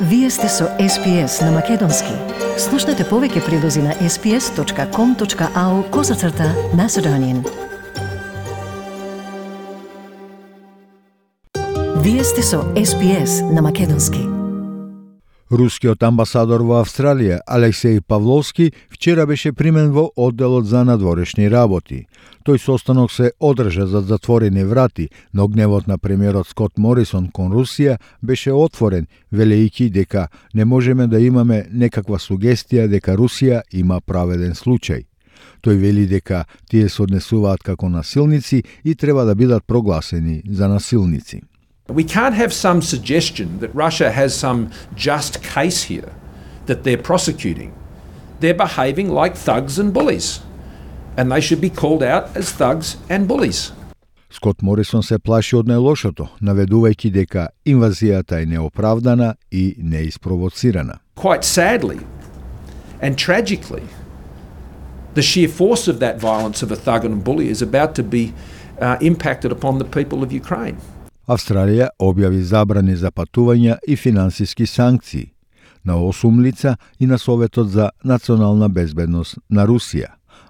Вие сте со SPS на Македонски. Слушнете повеќе прилози на sps.com.au/Macedonian. Вие сте со SPS на Македонски. Рускиот амбасадор во Австралија, Алексеј Павловски, вчера беше примен во одделот за надворешни работи. Тој состанок се одржа за затворени врати, но гневот на премиерот Скот Морисон кон Русија беше отворен, велејќи дека не можеме да имаме некаква сугестија дека Русија има праведен случај. Тој вели дека тие се однесуваат како насилници и треба да бидат прогласени за насилници. We can't have some suggestion that Russia has some just case here that they're prosecuting. They're behaving like thugs and bullies, and they should be called out as thugs and bullies. Скот Морисон се плаши од најлошото, наведувајќи дека инвазијата е неоправдана и неиспровоцирана. Quite sadly and tragically, the sheer force of that violence of a thug and bully is about to be impacted upon the people of Ukraine. Австралија објави забрани за патувања и финансиски санкции на 8 лица и на Советот за национална безбедност на Русија.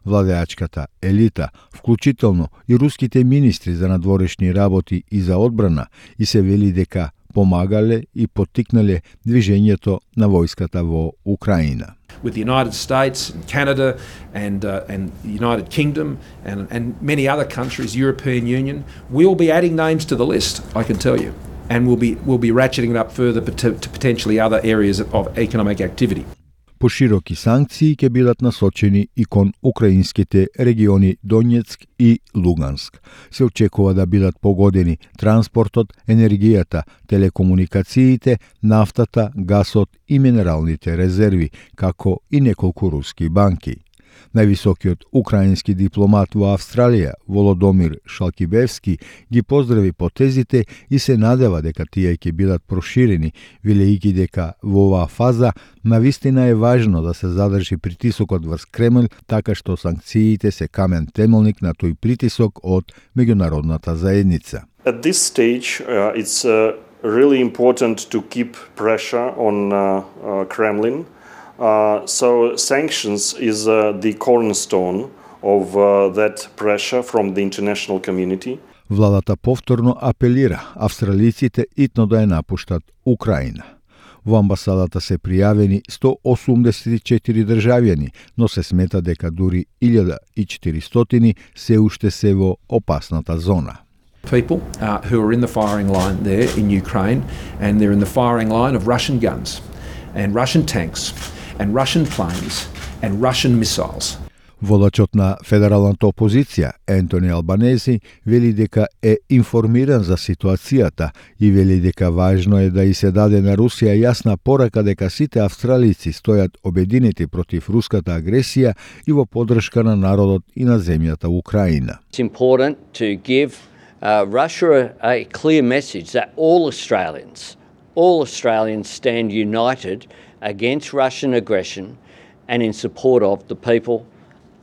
Владеачката елита, вклучително и руските министри за надворешни работи и за одбрана, и се вели дека помагале и поттикнале движењето на војската во Украина. With the United States and Canada and the United Kingdom and many other countries, European Union, we'll be adding names to the list, I can tell you, and we'll be ratcheting it up further to potentially other areas of economic activity. Пошироки санкции ќе бидат насочени и кон украинските региони Донецк и Луганск. Се очекува да бидат погодени транспортот, енергијата, телекомуникациите, нафтата, гасот и минералните резерви, како и неколку руски банки. Највисокиот украински дипломат во Австралија, Володомир Шалкибевски, ги поздрави потезите и се надева дека тие ќе бидат проширени, велејќи дека во оваа фаза навистина е важно да се задржи притисокот врз Кремљ, така што санкциите се камен темелник на тој притисок од меѓународната заедница. At this stage, it's really important to keep pressure on Kremlin. So sanctions is the cornerstone of that pressure from the international community. Владата повторно апелира австралиците итно да ја напуштат Украина. Во амбасадата се пријавени 184 државјани, но се смета дека дури 1400 се уште се во опасната зона. People who are in the firing line there in Ukraine, and they're in the firing line of Russian guns and Russian tanks and Russian planes and Russian missiles. Водачот на федералната опозиција, Ентони Албанези, вели дека е информиран за ситуацијата и вели дека важно е да и се даде на Русија јасна порака дека сите австралици стојат обединети против руската агресија и во поддршка на народот и на земјата Украина. It's important to give Russia a clear message that all Australians stand united against Russian aggression and in support of the people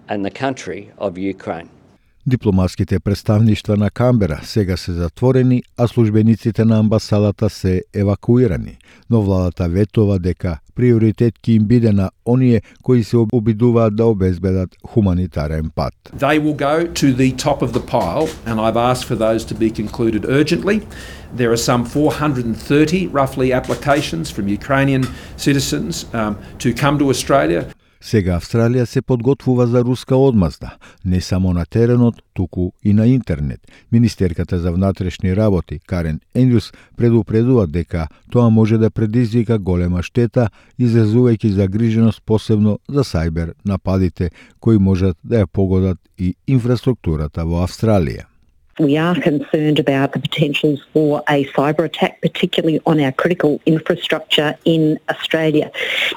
and the country of Ukraine. Дипломатските представништва на Камбера сега се затворени, а службениците на амбасадата се евакуирани, но владата ветува дека приоритет ќе им биде на оние кои се обидуваат да обезбедат хуманитарен пат. They will go to the top of the pile, and I've asked for those to be concluded urgently. There are some 430 roughly applications from Ukrainian citizens to come to Australia. Сега Австралија се подготвува за руска одмазда, не само на теренот, туку и на интернет. Министерката за внатрешни работи, Карен Енјус, предупредува дека тоа може да предизвика голема штета, изразувајќи загриженост посебно за сајбер нападите, кои можат да ја погодат и инфраструктурата во Австралија. We are concerned about the potentials for a cyber attack, particularly on our critical infrastructure in Australia.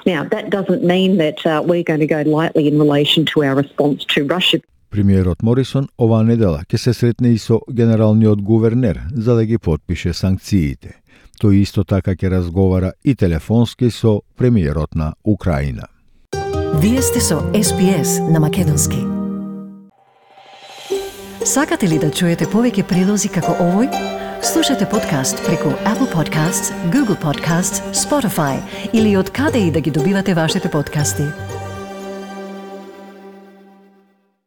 Now, that doesn't mean that we're going to go lightly in relation to our response to Russia. Премиерот Морисон оваа недела ќе се сретне и со генералниот гувернер за да ги потпише санкциите. Тој исто така ќе разговара и телефонски со премиерот на Украина. Вие сте со SPS на Македонски. Сакате ли да чуете повеќе прилози како овој? Слушате подкаст преку Apple Podcasts, Google Podcasts, Spotify или од каде и да ги добивате вашите подкасти.